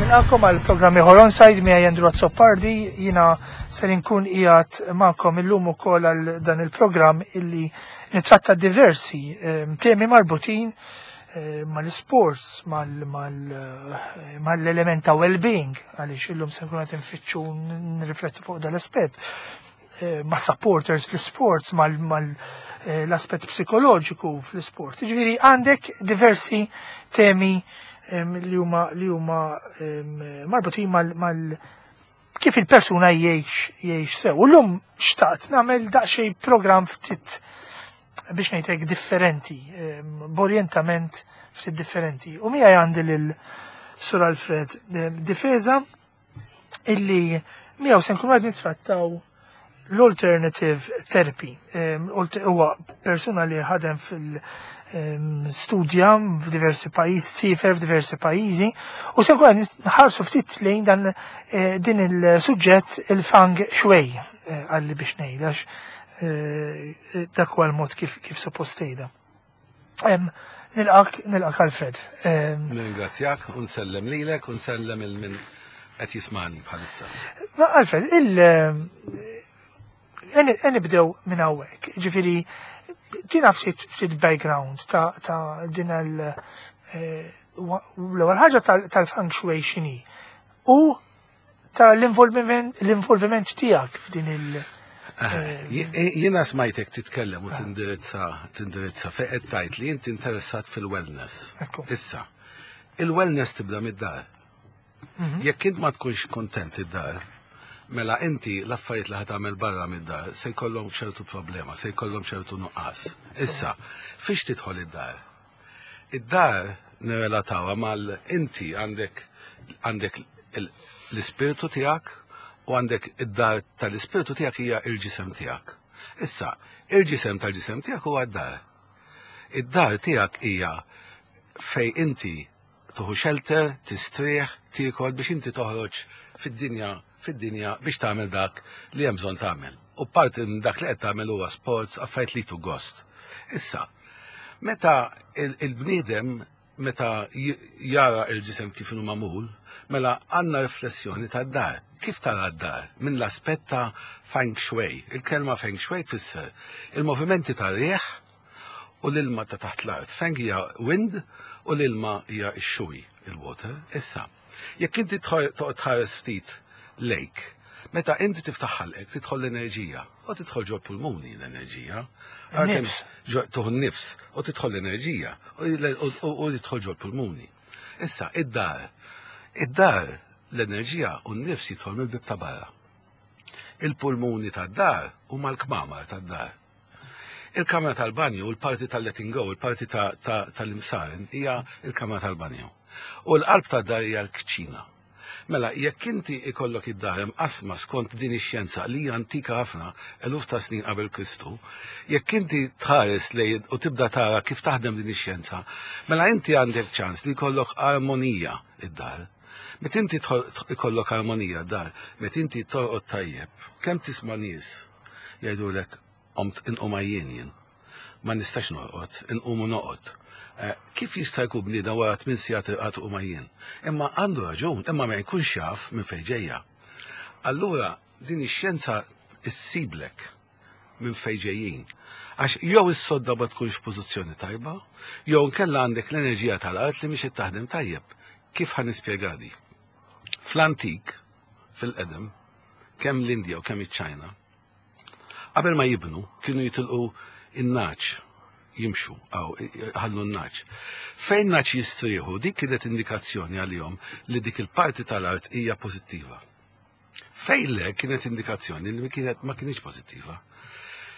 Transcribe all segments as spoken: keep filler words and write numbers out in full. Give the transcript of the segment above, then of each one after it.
Nilqakom għal programm ieħor Onside miegħi Andrew Azzopardi. Jiena ser inkun qiegħed magħkom illum ukoll għal dan il-programm illi nitratta diversi ehm, temi marbutin eh, mal-sports, mal-element ta' well-being, għaliex illum se nkun qed infittxu nirriflettu fuq dal-aspett, eh, ma' supporters fl-sports, mal-aspett eh, psikoloġiku fl-sport. Ġifieri għandek diversi temi li huma li huma marbutin mal, mal kif il-persuna jgħix jgħix sew. U llum xtaqt nagħmel daqsxejn programm ftit, biex ngħidlek, differenti, b'orjentament ftit differenti. U miegħi għandi lil Sur Alfred Difesa, illi miegħu se nkunu qed nittrattaw l-alternative therapy. Huwa persuna li ħadem fil- studja f'diversi pajjiżi, siefer f'diversi pajjiżi, u se nkun nħarsu ftit lejn dan eh, din il-suġġett, il-feng shui, eh, għalli biex ngħidax eh, dak huwa l-mod kif kif suppost tgħidha. Nilqak, nilqak, Alfred. Ningrazzjak u nsellem lilek u nsellem lil min qed jismani bħalissa. Alfred, il nibdew minn hawnhekk. Ġifieri tina ftit ftit background ta' ta' din il eh, l-ewwel ħaġa tal-feng shui x'inhi u ta' l-involviment l-involviment tiegħek f'din il- eh, Jiena smajtek titkellem u tindirizza tindirizza fejn qed tgħid li inti interessat fil-wellness. Issa, il-wellness tibda mid-dar. Mhm. Jekk int ma tkunx kontent id-dar, mela inti l-affarijiet li ħa tagħmel barra mid-dar se jkollhom ċertu problema, se jkollhom ċertu nuqqas. Issa, fiex tidħol id-dar? Id-dar nirrelatawha mal inti għandek għandek l-ispirtu tiegħek u għandek id-dar tal-ispirtu tiegħek hija il-ġisem tiegħek. Issa, il-ġisem tal-ġisem tiegħek huwa d-dar. Id-dar tiegħek hija fej inti tuħu shelter, tistrieħ, tiekol biex inti toħroġ fid-dinja fid-dinja biex tagħmel dak li hemm bżonn tagħmel. U parti minn dak li qed tagħmel huwa sports, affarijiet li tu gost. Issa, meta il-bniedem meta jara il-ġisem kif inhu magħmul, mela għandna riflessjoni tad-dar. Kif tara d-dar? Minn l-aspett ta' feng shui. Il-kelma feng shui tfisser il-movimenti tar-riħ u l-ilma ta' taħt l-art. Feng hija wind u l-ilma hija x-shui, il-water. Issa, jekk inti toqgħod tħares ftit lejk, meta inti tiftaħ ħalqek tidħol l-enerġija u tidħol ġo pulmuni l-enerġija. Tuħu nifs u tidħol l-enerġija u tidħol ġo pulmuni. Issa, id-dar, id-dar l-enerġija u n-nifs jidħol mill-bib ta' barra. Il-pulmuni tad-dar huma l-kmamar tad-dar. Il-kamra tal-banju, il-parti tal-letting go, il-parti tal-imsaren, hija il-kamra tal-banju. U l-qalb tad-dar hija l-kċina. Mela, jekk inti ikollok id-dar imqasma skont din ix-xjenza li hija antika ħafna, eluf ta' snin qabel Kristu, jekk inti tħares lej u tibda tara kif taħdem din ix-xjenza, mela inti għandek ċans li jkollok armonija id-dar. Meta inti ikollok armonija d-dar, meta inti torqod tajjeb, kemm tisma' nies jgħidulek: "Qomt inqum għajjien jien. Ma nistax norqod, inqum u noqgħod." Eh, kif jista' jkun bniedem wara tmien sigħat irqad u għajjien? Imma għandu raġun, imma ma jkunx jaf minn fejn ġejja. Allura din ix-xjenza issiblek minn fejn ġejjin. Għax jew is-sodda ma tkunx f'pożizzjoni tajba, jew nkella għandek l-enerġija tal-art li mhix qed taħdem tajjeb. Kif ħa nispjega di? Fl-antik, fil-qedem, kemm l-Indja u kemm iċ-Ċajna, qabel ma jibnu kienu jitilqu in-nagħaġ jimxu, aw ħallu n-nagħaġ. Fejn nagħaġ jistrieħu, dik kienet indikazzjoni għalihom li dik il-parti tal-art hija pożittiva. Fejn le, kienet indikazzjoni li kienet ma kienx pożittiva.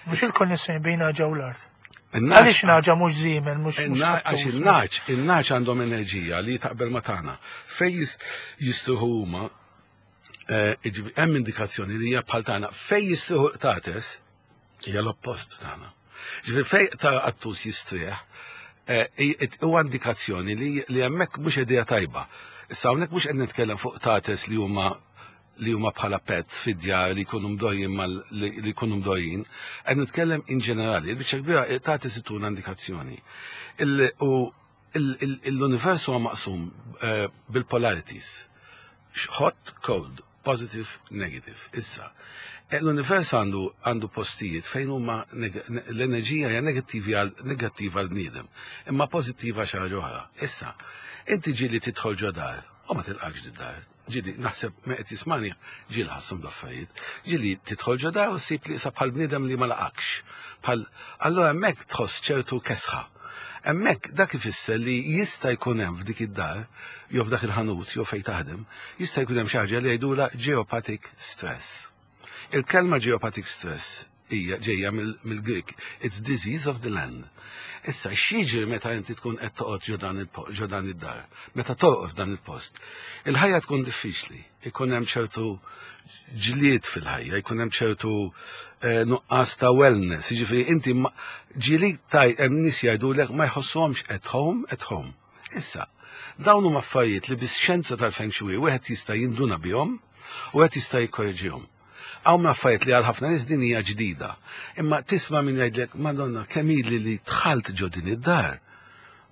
Mhux il-konnessjoni bejn nagħġa u l-art. In-nagħaġ- Għaliex nagħġa, mhux żiemel, mhux mhux Għax qattus, mhux- il-nagħaġ, il-nagħaġ għandhom enerġija li taqbel ma tagħna. Fej jis- jistrieħu huma, eh, jiġifieri hemm indikazzjoni li hija bħal tagħna. Fej jistrieħu qtates hija l-oppost tagħna. Ġifieri fej ta' qattus jistrieħ, eh, i- huwa indikazzjoni li li hemmhekk mhux idea tajba. Issa hawnhekk mhux qed nitkellem fuq qtates li huma li huma bħala pets fid-djar li jkunu mdorrijin mal li li jkunu mdorrijin, qed nitkellem in ġenerali, il-biċċa kbira qtates ituna indikazzjoni. Il- U l-univers huwa maqsum eh, bil-polarities. Hot, cold, positive, negative. Issa, eh, l-univers għandu għandu postijiet fejn huma l-enerġija hija negattiva negattiva għal bniedem, imma pożittiva xi ħaġa oħra. Issa, inti ġieli tidħol ġo dar u ma tilqakx dar. Ġieli, naħseb me qed jismani, ġieli ħassum l-affarijiet. Ġieli tidħol ġo dar u ssib li bħal bniedem li ma laqakx. Bħal, allora hemmhekk tħoss ċertu kesħa. Hemmhekk dak ifisser li jista' jkun hemm f'dik id-dar, jew f'dak il-ħanut, jew fejn taħdem, jista' jkun hemm xi ħaġa li jgħidulha geopathic stress. Il-kelma geopathic stress hija ġejja mill-Greek. It's disease of the land. Issa, x'jiġri meta inti tkun qed toqgħod ġo dan id-dar, meta torqod f'dan il-post? Il-ħajja tkun diffiċli, ikun hemm ċertu ġlied fil-ħajja, jkun hemm ċertu eh, nuqqas ta' wellness, jiġifieri inti ġieli taj hemm nies jgħidulek ma jħossuhomx at home, at home. Issa, dawn huma affarijiet li bis-xjenza tal-feng shui wieħed jista' jinduna bihom u wieħed jista' jikkorreġihom. Hawn affarijiet li għal ħafna nies din hija ġdida. Imma tisma' min jgħidlek, "Madonna, kemm ili li dħalt ġo din id-dar.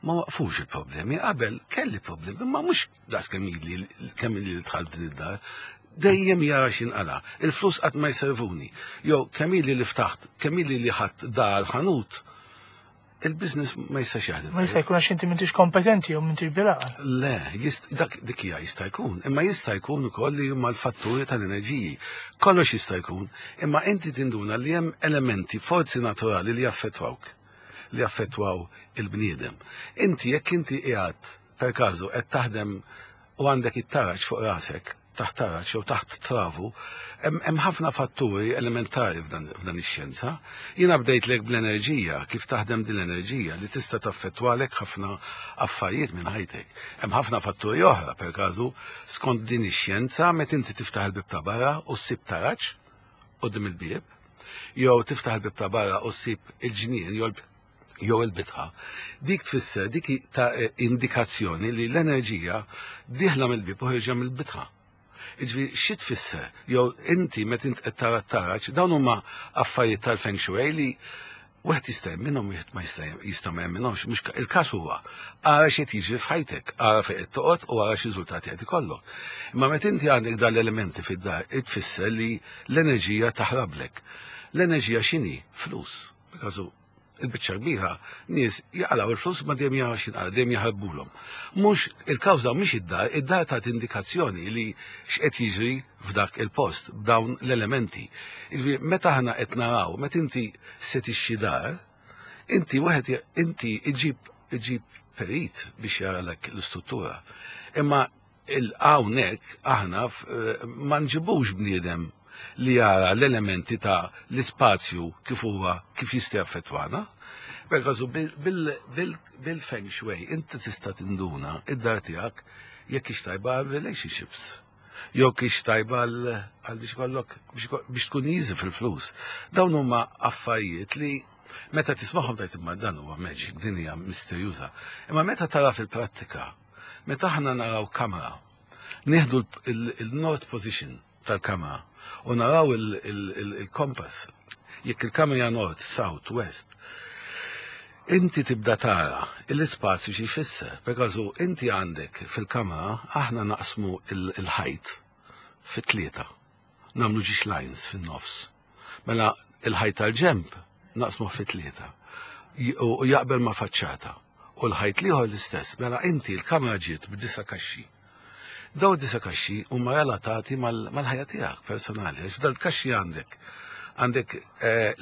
Ma waqfux il-problemi. Qabel kelli problemi, imma mhux daqs kemm ili kemm ili li dħalt din id-dar. Dejjem jara x'inqala. Il-flus qatt ma jservuni. Jew kemm ili li ftaħt, kemm ili li ħadt dar ħanut, il-business ma jistax jaħdem." Ma jista' jkun għax inti m'intix kompetenti jew m'intix bil-għaqal. Le, dak dik hija jista' jkun, imma jista' jkun ukoll li huma l-fatturi tal-enerġiji. Kollox jista' jkun, imma inti tinduna li hemm elementi, forzi naturali li jaffettwawk, li jaffettwaw il-bniedem. Inti jekk inti qiegħed per każu qed taħdem u għandek it-taraġ fuq rasek, taħt taraġ jew taħt travu, hemm ħafna fatturi elementari f'dan ix-xjenza. Jiena bdejtlek bl-enerġija, kif taħdem din l-enerġija li tista' taffettwalek ħafna affarijiet minn ħajtek. Hemm ħafna fatturi oħra, per każu, skont din ix-xjenza, meta inti tiftaħ il-bib ta' barra u ssib taraġ quddiem il-bieb, jew tiftaħ il-bib ta' barra u ssib il-ġnien jew jew il-bitħa. Dik tfisser dik ta' indikazzjoni li l-enerġija dieħla mill-bib u ħierġa mill-bitħa. Jiġifieri, xi tfisser? Jew inti meta int qed tara t-taraġ, dawn huma affarijiet tal-feng shui li wieħed jista' minnhom, wieħed ma jista' jista' ma jemminhomx, mhux il-każ huwa ara x'qed jiġri f'ħajtek, ara fejn qed toqgħod u ara x'riżultati qed ikollok. Imma meta inti għandek dan l-elementi fid-dar, tfisser li l-enerġija taħrablek. L-enerġija x'inhi? Flus. Because il-biċċa kbira nies jaqlaw il-flus ma dejjem jara x'inqala, dejjem jaħarbulhom. Mhux il-kawża mhix id-dar, id-dar tagħti indikazzjoni li x'qed jiġri f'dak il-post b'dawn l-elementi. Jiġifieri meta aħna qed naraw, meta inti se tixtri dar, inti wieħed inti iġib iġib perit biex jaralek l-istruttura. Imma il-hawnhekk aħna ma nġibux bniedem li jara l-elementi ta' l-ispazju kif huwa kif jista' jaffettwana. Perkażu bil-feng shui inti tista' tinduna id-dar tiegħek jekk hix tajba għal relationships. Jew hix tajba għal biex kollok biex tkun easy fil-flus. Dawn huma affarijiet li meta tismagħhom tgħid imma dan huwa magic, din hija misterjuża. Imma meta tara fil-prattika, meta aħna naraw kamra, nieħdu il-north position tal-kamra u naraw il-kompass. Jekk il-kamra north, south, west, inti tibda tara l-ispazju xi jfisser. Perkażu inti għandek fil-kamra aħna naqsmu il-ħajt fit-tlieta. Nagħmlu żewġ lines fin-nofs. Mela il-ħajt tal-ġemb naqsmu fit-tlieta. U jaqbel ma' faċċata. U l-ħajt l-ieħor l-istess. Mela inti l-kamra ġiet b'disa' kaxxi. Daw disa' kaxxi huma relatati mal-ħajja tiegħek personali. Għax f'dal kaxxi għandek għandek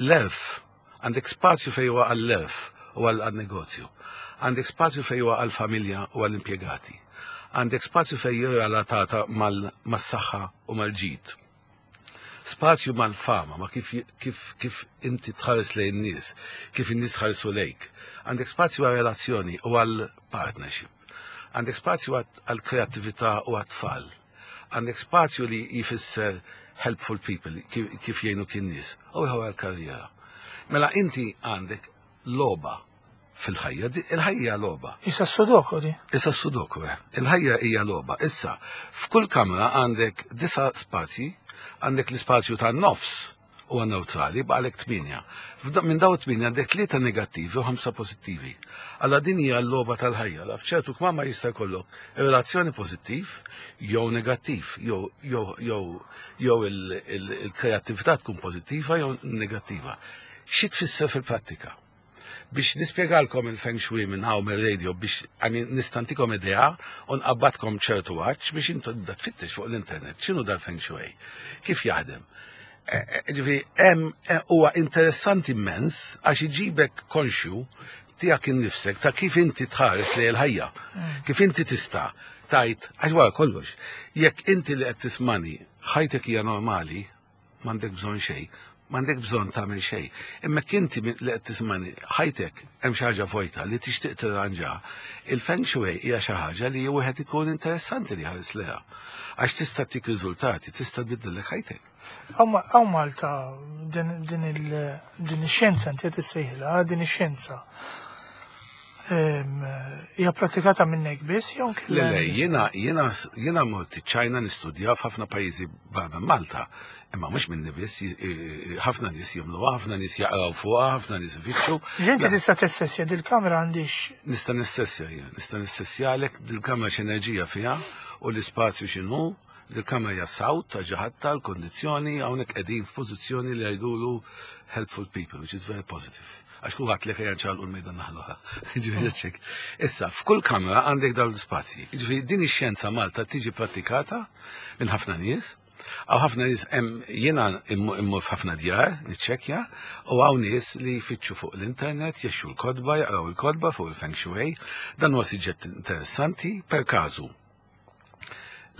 l-elf, għandek spazju fejn huwa għall-elf u għal-negozju. Għandek spazju fejn huwa għall-familja u għall-impjegati. Għandek spazju fejn huwa relatata mas-saħħa u mal-ġid. Spazju mal-fama, ma kif, kif, kif inti tħares lejn nies, kif in-nies ħarsu lejk. Għandek spazju għal relazzjoni u għal partnership. Għandek spazju għal kreatività u għat-tfal. Għandek spazju li jifisser helpful people, kif jgħinu kien nies, u għal karriera. Mela inti għandek logħba fil-ħajja, il-ħajja logħba. Issa s-sudoku di. Issa s-sudoku, eh. Il-ħajja hija logħba. Issa, f'kull kamra għandek disa spazji, għandek l-ispazju tan-nofs Huwa neutrali, baqgħalek tmienja. Minn daw tmienja għandek tlieta negattivi u ħamsa pożittivi. Alla din hija l-logħba tal-ħajja. La f'ċertu kmamar jista' jkollok relazzjoni pożittiv jew negattiv, jew jew jew jew il-kreattività tkun pożittiva jew negattiva. Xi tfisser fil-prattika? Biex nispjegalkom il-feng shui minn hawn mir-radio biex, I mean, nista' ntikom idea u nqabbadkom ċertu għax biex intu tibda tfittex fuq l-internet x'inhu dal-feng shui, kif jaħdem. Ġifieri, hemm huwa interessanti immens għax iġibek konxju tiegħek innifsek ta' kif inti tħares lejn il-ħajja. Kif inti tista' tajt, għax wara kollox, jekk inti li qed tismani ħajtek hija normali, m'għandek bżonn xejn, m'għandek bżonn tagħmel xejn. Imma inti li qed tismani ħajtek hemm xi ħaġa vojta li tixtieq tirranġa, il-feng shui hija xi ħaġa li wieħed ikun interessanti li ħares leha. Għax tista' tik riżultati, tista' tbiddellek ħajtek. Hawn Malta din din ix-xjenza inti qed issejħilha, din ix-xjenza. Hija pratikata minnek biss jew Le, le, jiena jiena jiena mort Ċajna nistudja f'ħafna pajjiżi barra Malta. Imma mhux minni biss, ħafna nies jagħmluha, ħafna nies jaqraw fuqha, ħafna nies ifittxu. Ġenti tista' tessessja dil-kamra għandix. Nista' nissessja jien, nista' nissessjalek dil-kamra x'enerġija fiha u l-ispazju x'inhu, dil-kamra hija south ta' ġaħatta l-kondizzjoni hawnhekk qegħdin f'pożizzjoni li jgħidulu helpful people, which is very positive. Għax kulħadd li ejja nċaqilqu l-mejda naħluha. Ġifieri ċek. Issa, f'kull kamra għandek dawn l-ispazji. Ġifieri din ix-xjenza Malta tiġi pratikata minn ħafna nies. Hawn ħafna nies hemm jiena immur f'ħafna djar niċċekkja u hawn nies li jfittxu fuq l-internet, jixtru l-kotba, jaqraw il-kotba fuq il-feng shui. Dan huwa suġġett interessanti per każu.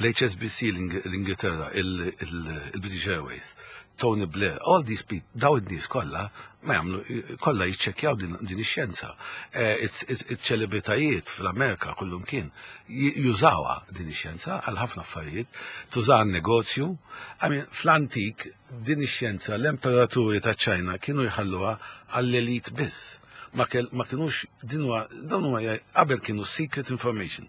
L-H S B C l-Ingilterra, il-British Airways, Tony Blair, all these people, daw id-nies kollha ma jagħmlu kollha jiċċekkjaw din ix-xjenza. Iċ-ċelebritajiet fl-Amerika kullum kien jużawha din ix-xjenza għal ħafna affarijiet, tużaha negozju. I mean, fl-antik din ix-xjenza l-emperaturi ta' Ċajna kienu jħalluha għall-elit biss. Ma kienux din huwa dan huwa qabel kienu secret information,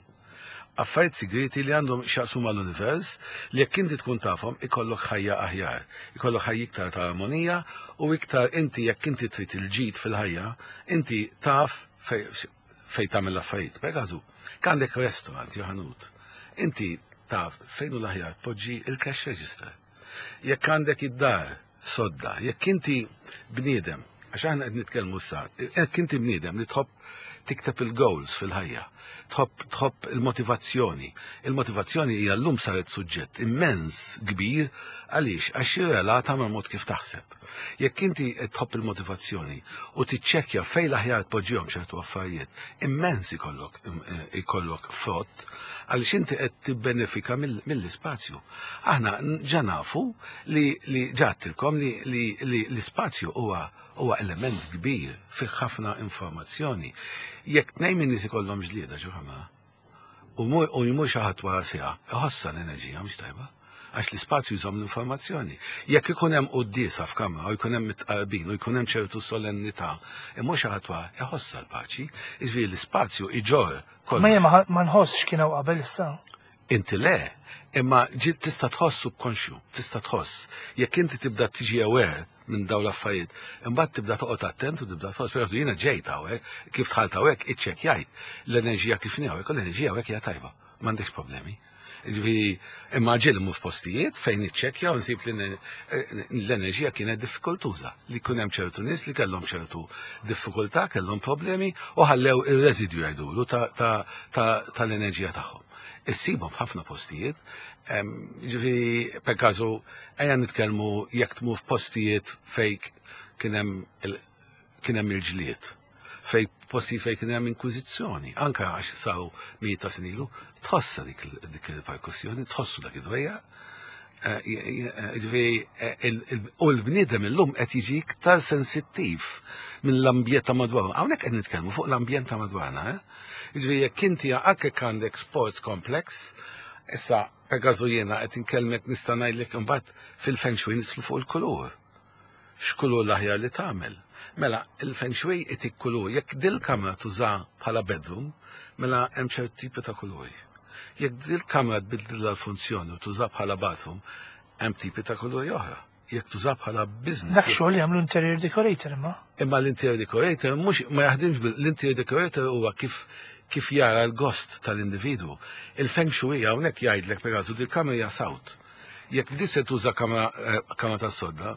affarijiet segreti li għandhom x'jaqsmu mal-univers li jekk inti tkun tafhom ikollok ħajja aħjar, ikollok ħajja iktar ta' armonija u iktar inti jekk inti trid il-ġid fil-ħajja, inti taf fej tagħmel l-affarijiet. Per għandek restaurant jew ħanut, inti taf fejn hu l-aħjar tpoġġi il-cash register. Jekk għandek id-dar sodda, jekk inti bniedem, għax aħna qed nitkellmu sa, jekk inti bniedem li tħobb tikteb il-goals fil-ħajja, tħobb tħobb il-motivazzjoni. Il-motivazzjoni hija llum saret suġġett immens kbir. Għaliex? Għax jirrelata mal mod kif taħseb. Jekk inti tħobb il-motivazzjoni u tiċċekkja fejn l-aħjar tpoġġihom ċertu affarijiet, immens ikollok ikollok frott għaliex inti qed tibbenefika mill-ispazju. Aħna ġa nafu li li ġattilkom li li l-ispazju huwa huwa element kbir fih ħafna informazzjoni. Jekk tnejn minn nies ikollhom ġlieda ġo ħamra u jmur xi ħadd wara siegħa, iħossha l-enerġija mhux tajba għax l-ispazju jżomm l-informazzjoni. Jekk ikun hemm quddiesa f'kamra u jkun hemm mitqarbin u jkun hemm ċertu solennità, imur xi ħadd wara iħossha l-paċi, jiġifieri l-ispazju iġorr kollox. Ma jien ma nħossx kien hawn qabel issa. Inti le, imma ġiet tista' tħoss subkonxju, tista' tħoss. Jekk inti tibda tiġi aware minn dawn l-affarijiet, imbagħad tibda toqgħod attent u tibda tħoss, per jiena ġejt hawnhekk, kif dħalt hawnhekk iċċekkjajt l-enerġija kif hawnhekk, u l-enerġija hawnhekk hija tajba, m'għandekx problemi. Ġifieri, imma ġieli mur f'postijiet fejn iċċekkja u nsib li l-enerġija kienet diffikultuża, li kien hemm ċertu nies li kellhom ċertu diffikultà, kellhom problemi u ħallew ir-residju jgħidulu tal-enerġija tagħhom. Issibhom f'ħafna postijiet, ġifieri, per każu, ejja nitkellmu jekk tmur f'postijiet fejn kien hemm il-ġlied, fej postijiet fejn kien hemm inkwiżizzjoni, anke għax saru mijiet ta' snin ilu, tħossa dik il-perkussjoni, tħossu dak id-dwejja. Ġifieri, u l-bniedem illum qed jiġi iktar sensittiv mill-ambjent ta' madwarna. Hawnhekk qed nitkellmu fuq l-ambjent ta' madwarna, eh? Ġifieri, jekk inti anke għandek sports complex, issa per każu jiena qed inkellmek nista' ngħidlek imbagħad fil-feng shui nidħlu fuq il-kulur. X'kulur l-aħjar li tagħmel? Mela, il-feng shui itik kulur. Jekk dil-kamra tuża bħala bedroom, mela hemm ċert tipi ta' kuluri. Jekk dil-kamra tbiddilha l-funzjoni u tuża bħala bathroom, hemm tipi ta' kuluri oħra. Jekk tuża bħala business. Dak xogħol jagħmlu interior decorator imma. Imma l-interior decorator mhux ma jaħdimx bil l-interior decorator huwa kif kif jara l-gost tal-individwu. Il-feng shui hawnhekk jgħidlek, per eżempju, dil-kamra hija south. Jekk di se tuża kamra eh, kamra tas-sodda,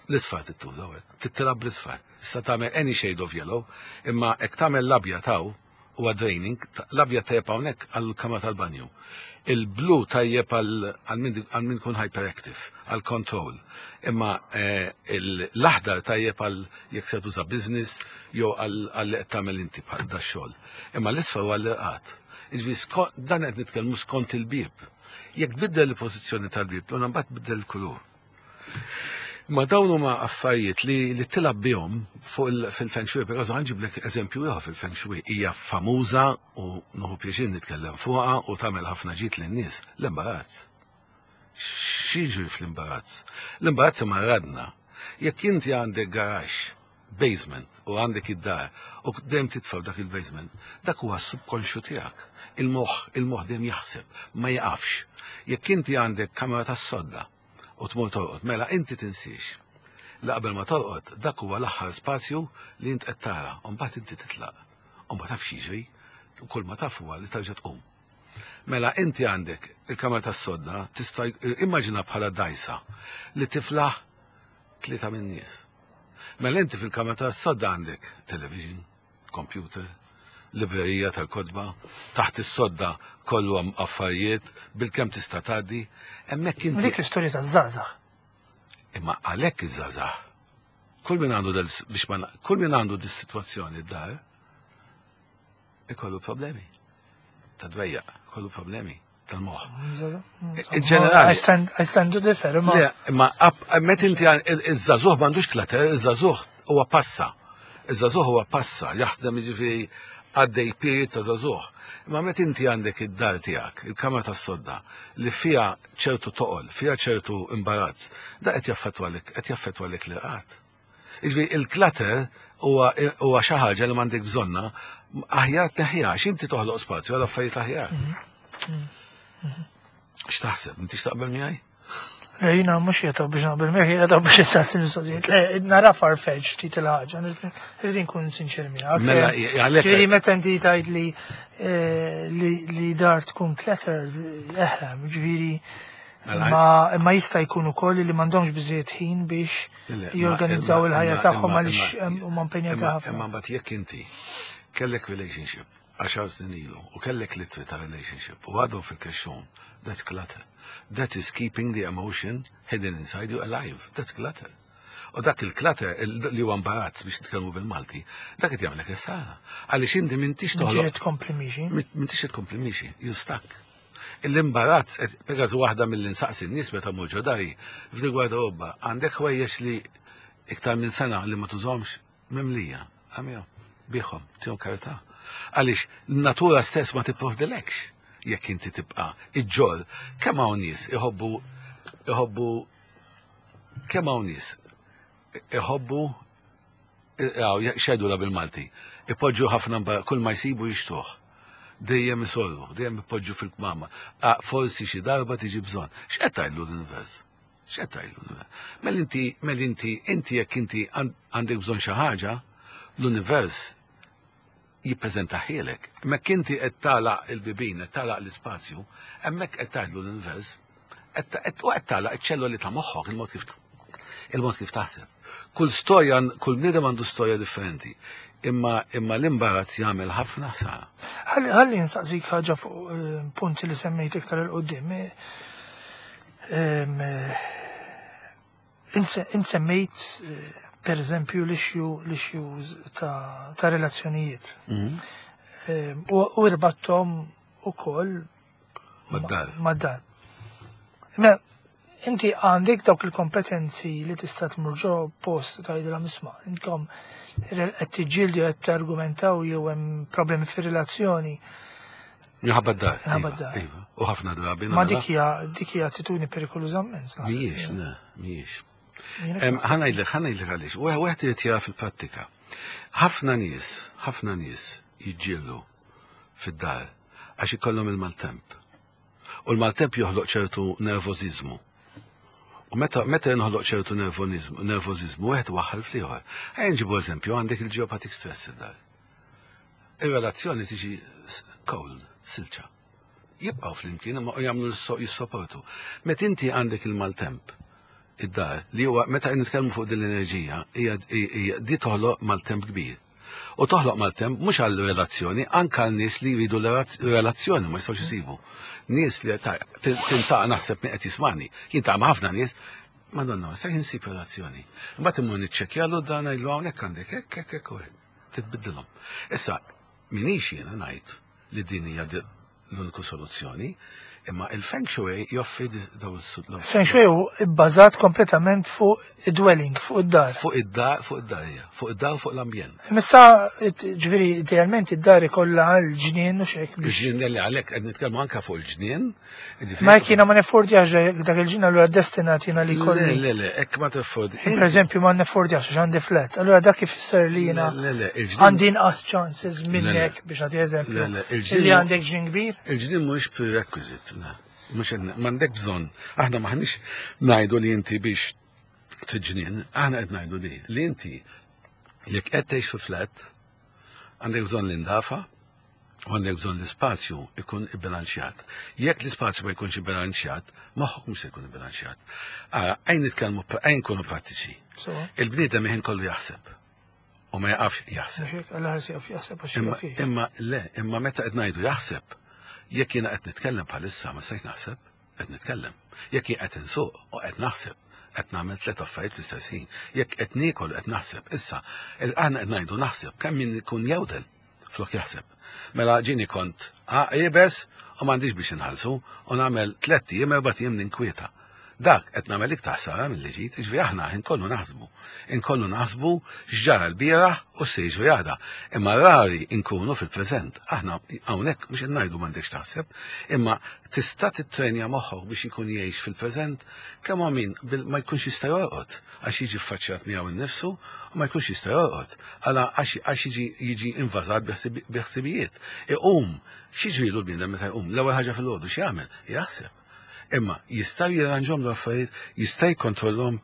l-isfar tittuża hekk, tittilab bl-isfar. Issa tagħmel any shade of yellow, imma jekk tagħmel l-abjad taw huwa draining, l-abjad tajjeb hawnhekk għall-kamra tal-banju. Il-blu tajjeb għal min kun hyperactive, għal control. Imma eh, l-aħdar tajjeb għal jekk se tuża business jew għal li qed tagħmel inti bħal da xogħol. Imma l-isfar huwa l-irqad. Jiġifieri dan qed nitkellmu skont il-bieb. Jekk tbiddel il-pożizzjoni tal-bieb, l mbagħad tbiddel il-kulur. Ma dawn huma affarijiet li li tilab bihom fuq fil-feng shui, per ħa nġiblek eżempju ieħor fil-feng shui, hija famuża u nieħu pjaċir nitkellem fuqha u tagħmel ħafna ġid lin-nies, l-imbarazz. X'jiġri fl-imbarazz? L-imbarazz maradna. Jekk inti għandek garaxx, basement, u għandek id-dar, u dejjem titfa' dak il-basement, dak huwa s-subkonxju tiegħek. Il-moħħ, il-moħħ dejjem jaħseb, ma jaqafx. Jekk inti għandek kamera tas-sodda u tmur torqod, mela inti tinsiex. La qabel ma torqod, dak huwa l-aħħar spazju li int qed tara, u mbagħad inti titlaq. U ma tafx jiġri, u kull ma taf huwa li terġa' tqum. Mela inti għandek il-kamra tas-sodda, tista' immaġina bħala dajsa li tiflaħ tlieta minn nies. Mela inti fil-kamra tas-sodda għandek television, computer, librerija tal-kotba, taħt is-sodda kollu hemm affarijiet bil-kemm tista' tgħaddi, hemmhekk inti. Dik l-istorja taż-żgħażagħ. Imma għalhekk iż-żgħażagħ. Kull min għandu del biex ma kull min għandu dis-sitwazzjoni d-dar ikollu problemi. Ta' dwejjaq, ikollu problemi tal-moħħ. In ġenerali. I stand, I stand to differ, imma. Le, imma met inti iż-żagħżugħ m'għandux clutter, iż-żagħżugħ huwa passa. Iż-żagħżugħ huwa passa, jaħdem, jiġifieri għaddej period ta' żagħżugħ. Imma met inti għandek id-dar tiegħek, il-kamra tas-sodda, li fiha ċertu toqol, fiha ċertu imbarazz, da qed jaffettwalek, qed jaffettwalek l-irqad. Jiġifieri il-clutter huwa huwa xi ħaġa li m'għandek bżonna, aħjar tneħħiha għax inti toħloq spazju għal affarijiet aħjar. X'taħseb? Inti x'taqbel miegħi? Le, jiena mhux qiegħed biex naqbel miegħek, qiegħed biex issaqsi mistoqsijiet. Le, nara farfetch ftit il-ħaġa, irrid nkun sinċer miegħek. Mela, għalhekk. Ġifieri meta inti tgħid li eh, li li dar tkun cluttered, eħe, ġifieri Mela, ma imma jista' jkun ukoll li m'għandhomx biżejjed ħin biex Le, jorganizzaw imma- il-ħajja imma- tagħhom imma- għaliex imma- huma impenjati imma- ħafna. Imma mbagħad jekk inti kellek relationship għaxar snin ilu u kellek litri ta' relationship u għadhom fil-kexxun, that's clutter. That is keeping the emotion hidden inside you alive. That's clutter. U dak il-clutter il- li huwa imbarazz biex nitkellmu bil-Malti, dak qed jagħmlek is-sara. Għaliex inti m'intix toħloq Ġiet tkompli miexi. m'intix tkompli miexi, you stuck. L-imbarazz, per waħda mill-insaqsi n-nies meta mmur ġo dari, f'dil gwardarobba, għandek ħwejjeġ li iktar minn sena li ma tużomx mimlija, għamihom, biegħhom, tihom karità. Għaliex, natura stess ma tipprovdilekx jekk inti tibqa' iġġorr, kemm hawn nies iħobbu iħobbu kemm hawn nies iħobbu xedu la bil-Malti, ipoġġu ħafna mba- kull ma jsibu jixtruh. Dejjem isolvu, dejjem ipoġġu fil-kmama. Ah, forsi xi darba tiġi bżonn. X'qed tgħidlu l-univers? X'qed tgħidlu l-univers? Mela inti, mela inti, inti jekk inti għandek bżonn xi ħaġa, l-univers jippreżentahielek. Mek inti qed tagħlaq il-bibin, qed tagħlaq l-ispazju, hemmhekk qed tgħidlu l-univers, u qed tagħlaq iċ-ċelloli ta' moħħok, il-mod kif il-mod kif taħseb. Kull storja, kull bniedem għandu storja differenti. Imma imma l-imbarazz jagħmel ħafna ħsara. Ħalli nsaqsik ħaġa fuq eh, punti li semmejt iktar il-qoddim. Eh, Int semmejt eh, per eżempju l-issue l-issues ta' ta' relazzjonijiet. Mhm. U rbatthom ukoll Mad-dar. Mad-dar. Ma inti għandek dawk il-kompetenzi li tista' tmur ġo post tgħidilha, "Isma', intkom qed tiġġieldu, qed targumentaw jew hemm problemi fir-relazzjoni." Minħabba d-dar. Minħabba iva, d-dar. Iva. U ħafna drabi. Ma dik hija dik hija attitudni perikoluża immens. Naħseb. Mhijiex, le, mhijiex. Jiena Em, ħa ngħidlek, ħa ngħidlek għaliex. U għet irid jara fil-prattika. Ħafna nies, ħafna nies jiġġieldu fid-dar għax ikollhom il-maltemp. U l-maltemp joħloq ċertu nervożiżmu. U meta meta jinħoloq ċertu nervożizmu, wieħed waħħal fl-ieħor. Ejja nġibu eżempju, għandek il-geopathic stress id-dar. Ir-relazzjoni tiġi cold, silġa. Jibqgħu flimkien imma jagħmlu jissoportu. Meta inti għandek il-maltemp id-dar, li huwa meta nitkellmu fuq din l-enerġija, hija di toħloq maltemp kbir. U toħloq maltemp mhux għal relazzjoni, anke għal nies li jridu relazzjoni ma jistgħux isibu. Nies li tintaqa' naħseb min qed jismani, jintaqa' ma' ħafna nies, Madonna, sa insib relazzjoni. Imbagħad immur niċċekkjalu dan, ngħidlu hawnhekk għandek hekk, hekk, hekk, hekk. Titbiddilhom. Issa, minix jiena ngħid li din hija l-uniku soluzzjoni, imma il-Feng Shui joffri daw Feng Shui hu bbażat kompletament fuq id-dwelling, fuq id-dar. Fuq id-dar, fuq id-dar, hija. Fuq id-dar u fuq l-ambjent. Missa, ġifieri, idealment id-dar ikollha l-ġnien u xek. Il-ġnien li għalhekk qed nitkellmu anke fuq il-ġnien. Ma jekk jiena ma neffordjax dak il-ġnien, allura destinat jiena li kolli. Le, le, le, hekk ma teffordi. Per eżempju, ma neffordjax għax għandi flat. Allura dak ifisser li jiena Le, le, il-ġnien. għandi inqas chances minnek, biex nagħti eżempju. Le, le, il-ġnien Li għandek ġnien kbir. Il-ġnien mhux prerequisite, le. Mhux qed m'għandek bżonn. Aħna maħniex ngħidu li inti biex tiġnien, aħna qed ngħidu li li inti jekk qed tgħix fi flat, għandek bżonn l-indafa u għandek bżonn l-ispazju ikun ibbilanċjat. Jekk l-ispazju ma jkunx ibbilanċjat, moħħok mhux se jkun ibbilanċjat. Ara, ejja nitkellmu, ejja nkunu prattiċi. So, Il-bniedem ħin kollu jaħseb. U ma jaqafx jaħseb. mhux hekk, alla ħares jaf jaħseb għax Imma, jaf jgħix. imma le, imma meta qed ngħidu jaħseb, jekk jiena qed nitkellem bħalissa ma stajt naħseb, qed nitkellem. Jekk jien qed insuq u qed naħseb, qed nagħmel tliet affarijiet fl-istess ħin. Jekk qed niekol qed naħseb. Issa, il- aħna qed ngħidu naħseb kemm min ikun jewdel flok jaħseb. Mela ġini kont iebes u m'għandix biex inħallsu u nagħmel tliet ijiem, erba' ijiem ninkwieta. Dak qed nagħmel iktar ħsara milli ġid, jiġifieri aħna inkollu naħsbu. Inkollu naħsbu x'ġara l-bieraħ u se jiġri għada. Imma rari nkunu fil-preżent. Aħna hawnhekk mhux qed ngħidu m'għandekx taħseb, imma tista' titrenja moħħok biex ikun jgħix fil-preżent, kemm hawn min bil- ma jkunx jista' jorqod għax jiġi ffaċċjat miegħu innifsu u ma jkunx jista' jorqod. Għala għax għax jiġi jiġi invażat bi ħsibijiet. Iqum, x'jiġrilu l-bniedem meta jqum? L-ewwel ħaġa fil-għodu x'jagħmel? Jaħseb. Imma jista' jirranġhom l-affarijiet, jista' jkontrollhom,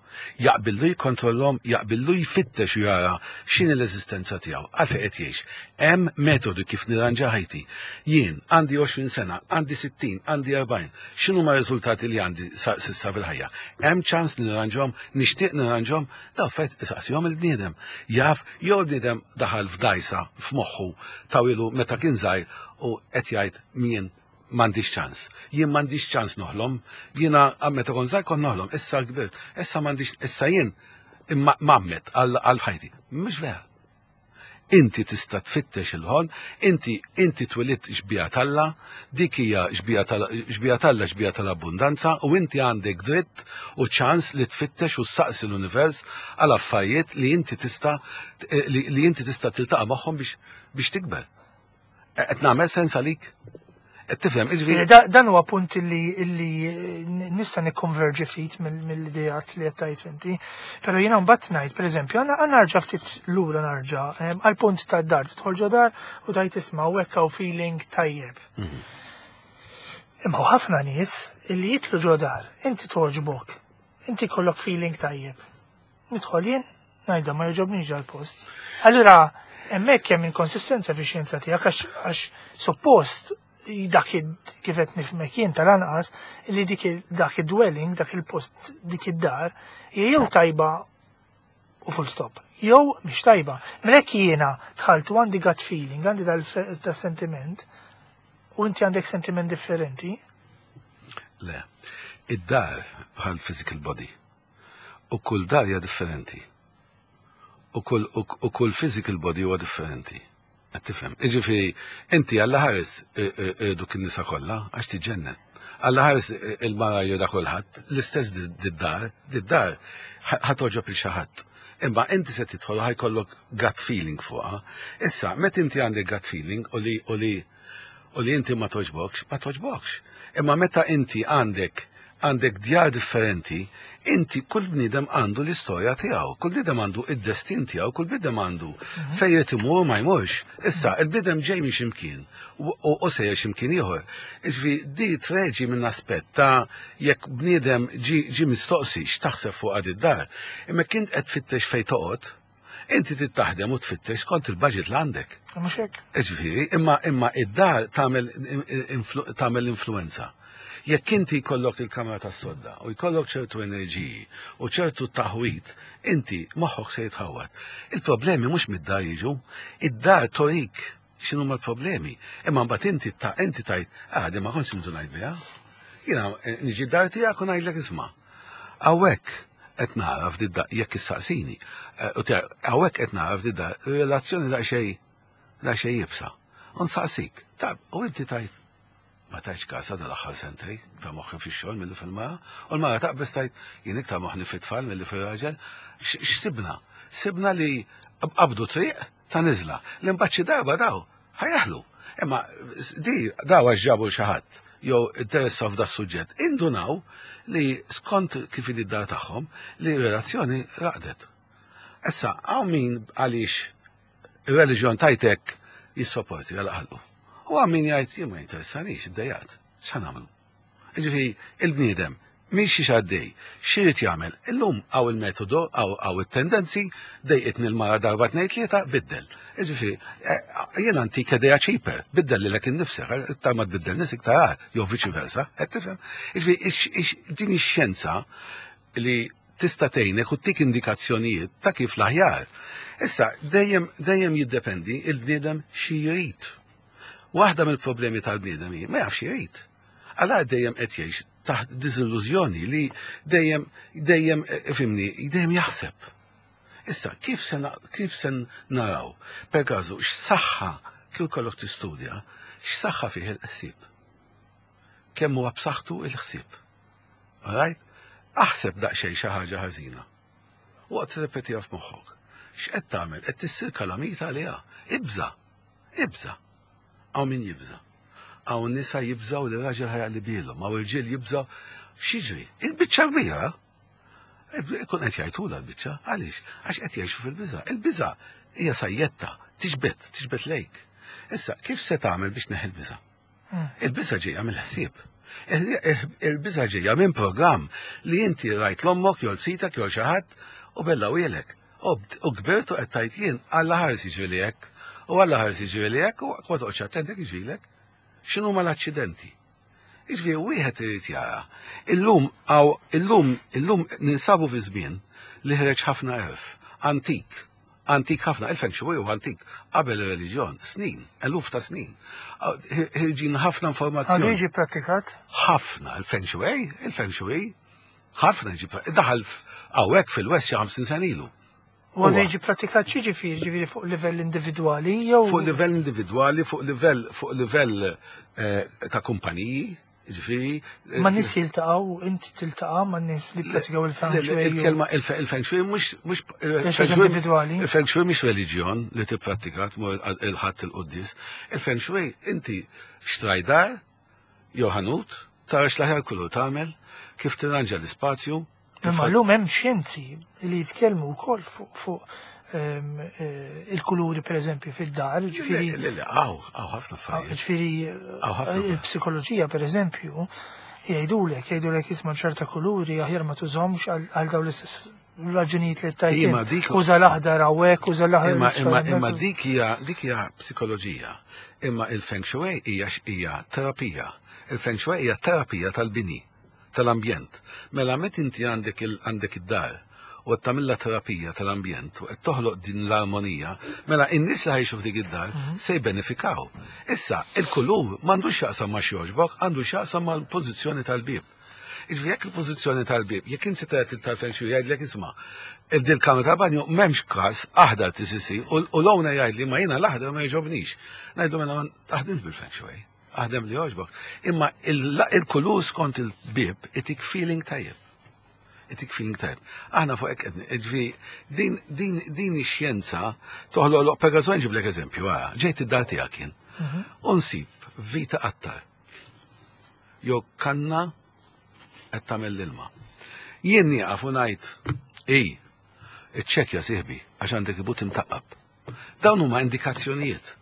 jaqbillu jkontrollhom, jaqbillu jfittex u jara x'inhi l-eżistenza tiegħu, għalfejn qed jgħix. Hemm metodu kif nirranġa ħajti. Jien għandi għoxrin sena, għandi sittin, għandi erbgħin. X'inhu ma riżultati li għandi sa- s'issa fil-ħajja? Hemm ċans nirranġhom, nixtieq nirranġhom, daw fejt isaqsihom il-bniedem. Jaf jew il-bniedem daħal f'dajsa f'moħħu tawilu meta kien żgħir u qed jgħid min m'għandix ċans. Jien m'għandix ċans noħlom, jiena meta kont żgħir kont noħlom, issa kbirt, issa m'għandix, issa jien imma mammet għal għal ħajti. Mhux vera. Inti tista' tfittex il-ħolm, inti inti twelidt xbieha t'Alla, dik hija xbieha tal- xbieha t'Alla, xbieha tal-abbundanza, u inti għandek dritt u ċans li tfittex u saqsi l-univers għal affarijiet li inti tista' li, li inti tista' tiltaqa' magħhom biex biex tikber. Qed nagħmel sens għalik? Qed tifhem, jiġifieri Da- Dan huwa punt li illi nista' nikkonverġi ftit mill-ideat li qed tgħid inti. Però jiena mbagħad ngħid, pereżempju, għandna narġa' ftit lura narġa' em, għal punt tad-dar, tidħol ġo dar u tgħid, "Isma', hawnhekk hawn feeling tajjeb." Imma hawn ħafna nies illi jidħlu ġo dar, inti toġbok, inti kollok feeling tajjeb. Nidħol jien, ngħidha, "Ma jogħġobnix dal-post." Allura, hemmhekk hemm inkonsistenza fix-xjenza tiegħek għax għax suppost dak id- kif qed nifhmek jien tal-anqas li dik il- dak id-dwelling, dak il-post, dik id-dar, hija jew tajba u full stop. Jew mhix tajba. Mela jekk jiena dħalt u għandi gut feeling, għandi dal-sentiment, u inti għandek sentiment differenti, Le, id-dar bħal physical body. U kull dar hija differenti. U kull, u, u kull physical body huwa differenti. Qed tifhem? Jiġifieri, inti Alla ħares duk in-nisa kollha għax tiġġennen. Alla ħares il-mara jridha kulħadd, l-istess did-dar, did-dar ħa togħġob lil xi ħadd. Imma inti se tidħol ħa jkollok gut feeling fuqha. Issa, meta inti għandek gut feeling u li u li u li inti ma toġbokx, ma toġbokx. Imma meta inti għandek għandek djar differenti, Inti kull bniedem għandu l-istorja tiegħu, kull bniedem għandu id-destin tiegħu, kull bniedem għandu fejn irid imur ma jmurx. Issa, il-bniedem ġej minn x'imkien u u sejjer x'imkien ieħor. Jiġifieri di treġi minn aspett ta' jekk bniedem ġi mistoqsi x'taħseb fuq għad id-dar, imma kint qed tfittex fejn toqgħod, inti trid taħdem u tfittex skont il-budget li għandek. Mhux hekk. Ġifieri, imma imma id-dar tagħmel tagħmel influenza. Jekk inti jkollok il-kamra tas-sodda u jkollok ċertu enerġiji u ċertu taħwit, inti moħħok se jitħawat. Il-problemi mhux mid-dar jiġu, id-dar torik x'inhuma l-problemi. Imma mbagħad inti ta' inti tajt, ah, di ma kontx ngħid biha. Jiena eh, niġi dar tiegħek u ngħidlek isma'. Hawnhekk qed nara f'did jekk issaqsini. Eh, hawnhekk qed nara f'did relazzjoni daqsxejn daqsxejn iebsa. U nsaqsik, tab, u inti tajt ma tajtx kasa dal-aħħar sentej, ta' moħħi fix-xogħol milli fil-mara, u l-mara taqbeż tajt jien iktar moħħni fit-tfal milli fir-raġel. X'sibna? Sibna li qabdu triq ta' niżla. Li mbagħad xi darba daw ħa jeħlu. Imma di daw għax ġabu xi ħadd jew interessaw f'da suġġett. Indunaw li skont kif id-dar tagħhom li relazzjoni raqdet. Issa, hawn min għaliex ir-reliġjon tajtek jissopporti għal ħallu. U hawn min jgħid jien ma jinteressanix, iddejjaqt, x'ħa nagħmlu? Ġifieri il-bniedem minn xi għaddej, x'irid jagħmel? Illum hawn il-metodu, hawn it-tendenzi, dejqitni l-mara darba tnejn tlieta, biddel. Ġifieri, eh, jiena antik idea cheaper, biddel lilek innifsek, iktar ma tbiddel nies iktar jew viċi versa, qed tifhem? Ġifieri, din ix-xjenza li tista' tgħinek u tik indikazzjonijiet ta' kif l-aħjar. Issa, dejjem dejjem jiddependi il-bniedem xi jrid. Waħda mill-problemi tal-bniedem hi ma jafx jrid. Għala dejjem qed jgħix taħt diżillużjoni li dejjem dejjem eh, fimni, dejjem jaħseb. Issa, kif se kif se naraw, per każu, x'saħħa kif kollok tistudja, x'saħħa fih il-ħsieb. Kemm huwa b'saħħtu il-ħsieb. Right? Aħseb daqsxejn xi ħaġa ħażina. Waqt tirrepetiha f'moħħok. X'qed tagħmel? Qed tissir kalamita għaliha. Ibża. Ibża. Hawn min jibża. Hawn nisa jibżaw li raġel ħa jaqlibilhom, hawn irġiel jibżaw x'jiġri? Il-biċċa kbira. Ikun qed jgħidula l-biċċa, għaliex? Għax qed jgħixu fil-biża. Il-biża hija sajjetta, tiġbed, tiġbed lejk. Issa, kif se tagħmel biex neħi l-biża? Hmm. Il-biża ġejja mill-ħsieb. Il-biża ġejja minn programm li inti rajt l-ommok jew sitek jew xi ħadd u bella u jelek. U kbirtu qed tajt jien Alla ħares jiġri hekk. U Alla ħares jiġri hekk u ma toqgħodx attent hekk jiġrilek. X'inhu ma l-aċċidenti? Jiġifieri wieħed irid jara. Illum għaw illum illum ninsabu fi żmien li ħreġ ħafna għerf, antik, antik ħafna, il-feng shui u antik qabel ir-reliġjon, snin, eluf ta' snin. Ħirġin ħafna informazzjoni. Għadu jiġi prattikat? Ħafna, il-feng shui, il-feng shui, ħafna jiġi daħal hawnhekk fil-West xi ħamsin sena ilu. U għadu jiġi prattikat xi ġifieri, ġifieri fuq livell individwali jew? Fuq livell individwali, fuq livell fuq livell eh, ta' kumpaniji, ġifieri. Ma nies jiltaqgħu, inti tiltaqa' ma' nies li pratikaw il-feng shui. Il-kelma il-feng shui mhux mhux individwali. Il-feng shui mhix reliġjon li tipprattika tmur il-ħadd il-quddis. Il-feng shui inti xtraj dar jew ħanut, tara x'l-aħjar kulur tagħmel, kif tirranġa l-ispazju. Imma llum hemm xjenzi li jitkellmu wkoll fuq ehm, eh, il-kuluri per eżempju fid-dar, ġifieri. Le, le, hawn, hawn ħafna affarijiet. Ġifieri il-psikoloġija per eżempju jgħidulek, jgħidulek isma' ċerta kuluri aħjar ma tużhomx għal dawn l-istess raġunijiet li tajt. Imma dik Uża l-aħdar hawnhekk, uża l-aħdar. Imma imma imma dik hija dik hija psikoloġija. Imma il-feng shui hija hija terapija. Il-feng shui hija terapija tal-bini, tal-ambjent. Mela meta inti għandek għandek id-dar u qed tagħmilha terapija tal-ambjent u qed toħloq din l-armonija, mela in-nies li ħa jgħixu f'dik id-dar mhm. se jbenefikaw. Issa, il-kulur m'għandux x'jaqsam ma' x'jogħġbok, għandu x'jaqsam mal-pożizzjoni tal-bieb. Iġvi jekk il-pożizzjoni tal-bieb, jekk inti tgħid tal-feng shui jgħidlek isma' il kamra tal-banju m'hemmx każ aħdar T C C u l-owner jgħid li ma jiena l-aħdar ma jogħġobnix. Ngħidlu mela ma taħdimx bil-feng shui. Aħdem li jogħġbok. Imma il-kulur skont il-bieb itik feeling tajjeb. Itik feeling tajjeb. Aħna fuq hekk ġvi din din din ix-xjenza toħloq per każu nġiblek eżempju, ġejt id-dar tiegħek jien. Mhm. Unsib vita qattar. Jew kanna qed tagħmel l-ilma. Jien nieqaf u ngħid, ej, iċċekkja sieħbi għax għandek il-but imtaqqab. Dawn huma indikazzjonijiet.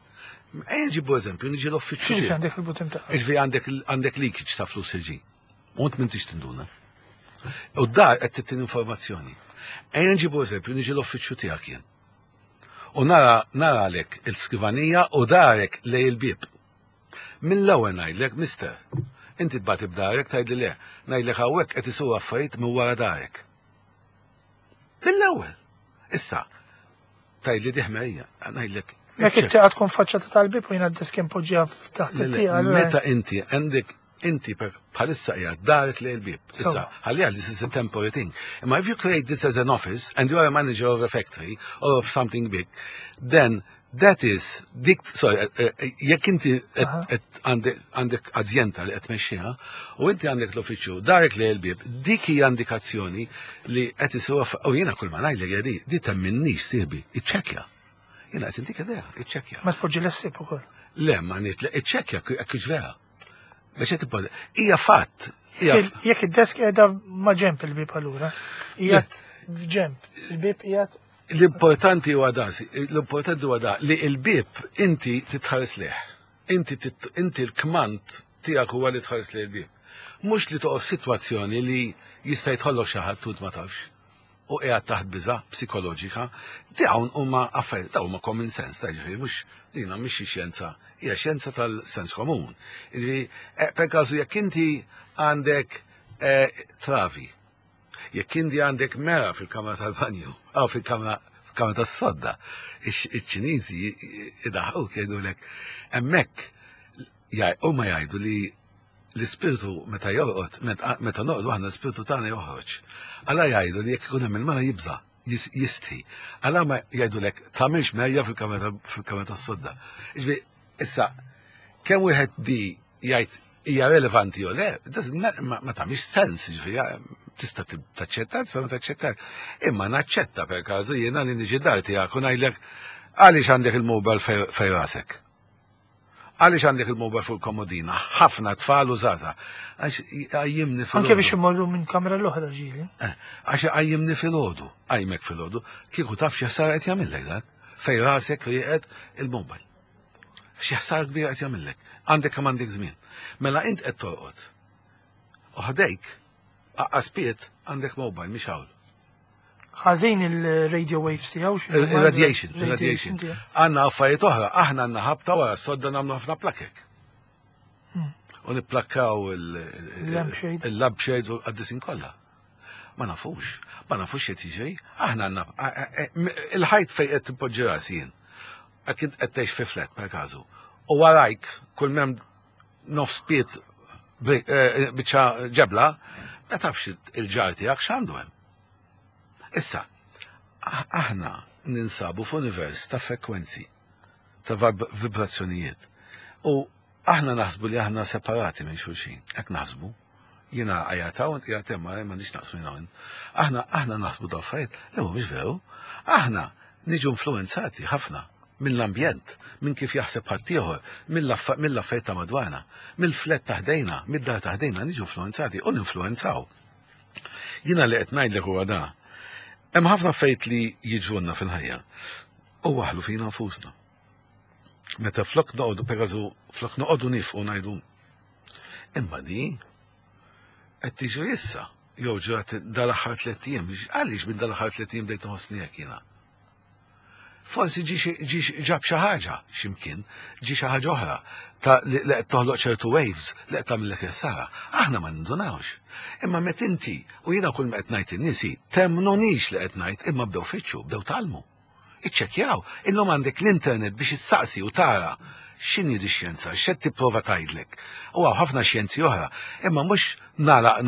Ejja nġibu eżempju, niġi l-uffiċċju X'inhi tiegħek. għandek il-but imtaqqab? Iġvi għandek għandek leakage ta' flus il-ġi. U int m'intix tinduna. U dar qed tittin informazzjoni. Ejja nġibu eżempju, niġi l-uffiċċju tiegħek jien. U nara nara għalek il-skrivanija u darek lej il-bib. Mill-ewwel ngħidlek, mister, inti tbati b'darek tgħidli le, ngħidlek hawnhekk qed isiru affarijiet minn wara darek. Mill-ewwel. Issa, tgħidli di ħmerija, ngħidlek. Jekk it-tieqa tkun faċċata tal-bib u jiena d-desk impoġġija taħt Le, le, it-tieqa. allura- Meta inti għandek inti per bħalissa qiegħed darek lejn il-bib. Issa, Sewwa. ħalliha this is a temporary thing. Imma if you create this as an office and you are a manager of a factory or of something big, then that is dik sorry, eh, eh, jekk inti qed- Aha. qed għandek għandek azjenda li qed tmexxiha u inti għandek l-uffiċċju darek lejn il-bib, dik hija indikazzjoni li qed isiru u jiena kull ma ngħidlek hija di, di temminnix sieħbi, iċċekkja. Jiena qed intik idea, iċċekkja. Ma tpoġġi l-ħsieb ukoll. Le, ma nit, iċċekkja jekk hux vera. Biex qed tibba- hija fatt. Hija Jekk id-desk qiegħda ma' ġemp il-bib allura. Qiegħed f'ġemp. Il-bib qiegħed L-importanti huwa da, l-importanti huwa da li il-bib inti titħares leh. Inti tit- inti l-kmand tiegħek huwa li tħares lejn il-bib. Mhux li toqgħod sitwazzjoni li jista' jidħollok xi ħadd tut ma tafx. U qiegħed taħt biża psikoloġika, dawn huma affarijiet, dawn huma common sense, ta' ġifieri mhux dina mhix xi xjenza, hija xjenza tal-sens komun. Ġifieri, eh, per każu jekk inti għandek eh, travi, jekk inti għandek mera fil-kamra tal-banju, aw fil-kamra fil-kamra tas-sodda, iċ-Ċiniżi idaħħu jgħidulek hemmhekk huma jgħidu li l-ispirtu meta jorqod, meta meta noqdu aħna l-ispirtu tagħna joħroġ. Għala jgħidu li jekk ikun hemm il-mara jibża, jis- jistħi. Għala ma jgħidulek tagħmilx merja fil-kamra fil-kamra tas-sodda. Ġifieri, issa, kemm wieħed di jgħid hija relevanti jew le, doesn't matter, ma ma tagħmilx sens, ġifieri, tista' tib- taċċetta, tista' ma taċċetta. Imma naċċetta per każu jiena li niġi dar tiegħek u ngħidlek għaliex għandek il-mobile fej fej rasek. Għaliex għandek il-mobile fuq il-komodina, ħafna tfal u żgħażagħ. Għax għajjimni fil anke biex imorru minn kamra l-oħra ġieli. Għax għajjimni fil-ħodu, għajmek fil-ħodu, kieku taf x'ħsara qed jagħmillek dak, fej rasek rieqed il-mobile. X'ħsara kbira qed jagħmillek. Għandek kemm għandek żmien. Mela int qed torqod. U ħdejk, aqqas pied għandek mobile mhix hawn. Ħażin il-radio waves tiegħu xi Il-radiation, il-radiation. tiegħu. Għandna affarijiet oħra, aħna għandna ħabta wara s-sodda nagħmlu ħafna plakek. U nipplakkaw Il-lampshade. il-lampshade u l-qaddisin kollha. Ma nafux, ma nafux x'qed jiġri. Aħna għandna il-ħajt fej qed tpoġġi rasi jien. Għax qed tgħix fi flat per każu. U warajk kull m'hemm nofs pied eh, biċċa ġebla, ma tafx il-ġar tiegħek x'għandu hemm. Issa, ah- aħna ninsabu f'univers ta' frekwenzi, ta' vib- vibrazzjonijiet. U aħna naħsbu li aħna separati minn xulxin. Hekk naħsbu. Jiena għajata u inti għatem ma m'għandix naqsmu jiena u int. Aħna aħna naħsbu da affarijiet, li mhumiex veru. Aħna niġu influenzati ħafna mill-ambjent, minn kif jaħseb ħaddieħor, mill-affarijiet ta' madwarna, mill-flat ta' ħdejna, mid-dar ta' ħdejna niġu influenzati u ninfluenzaw. Jiena li qed ngħidlek huwa da. Hemm ħafna affarijiet li jiġrulna fil-ħajja u waħlu fina nfusna. Meta flok noqogħdu pereżu flok noqogħdu nifqu ngħidu imma di qed tiġri issa jew ġrat dal-aħħar tliet ijiem, għaliex minn dal-aħħar tliet ijiem bdejt nħossni hekk jiena. Forsi ġi xi- ġi xi- ġab xi ħaġa x'imkien, ġi xi ħaġa oħra ta' li li qed toħloq ċertu waves li qed tagħmellek ħsara. Aħna ma nindunawx. Imma met inti u jiena kull ma qed ngħid in-nies temnunix li qed ngħid imma bdew fittxu, bdew tgħallmu. Iċċekkjaw, illum għandek l-internet biex issaqsi u tara x'inhi di xjenza, x'qed tipprova tgħidlek. U hawn ħafna xjenzi oħra, imma mhux nagħlaq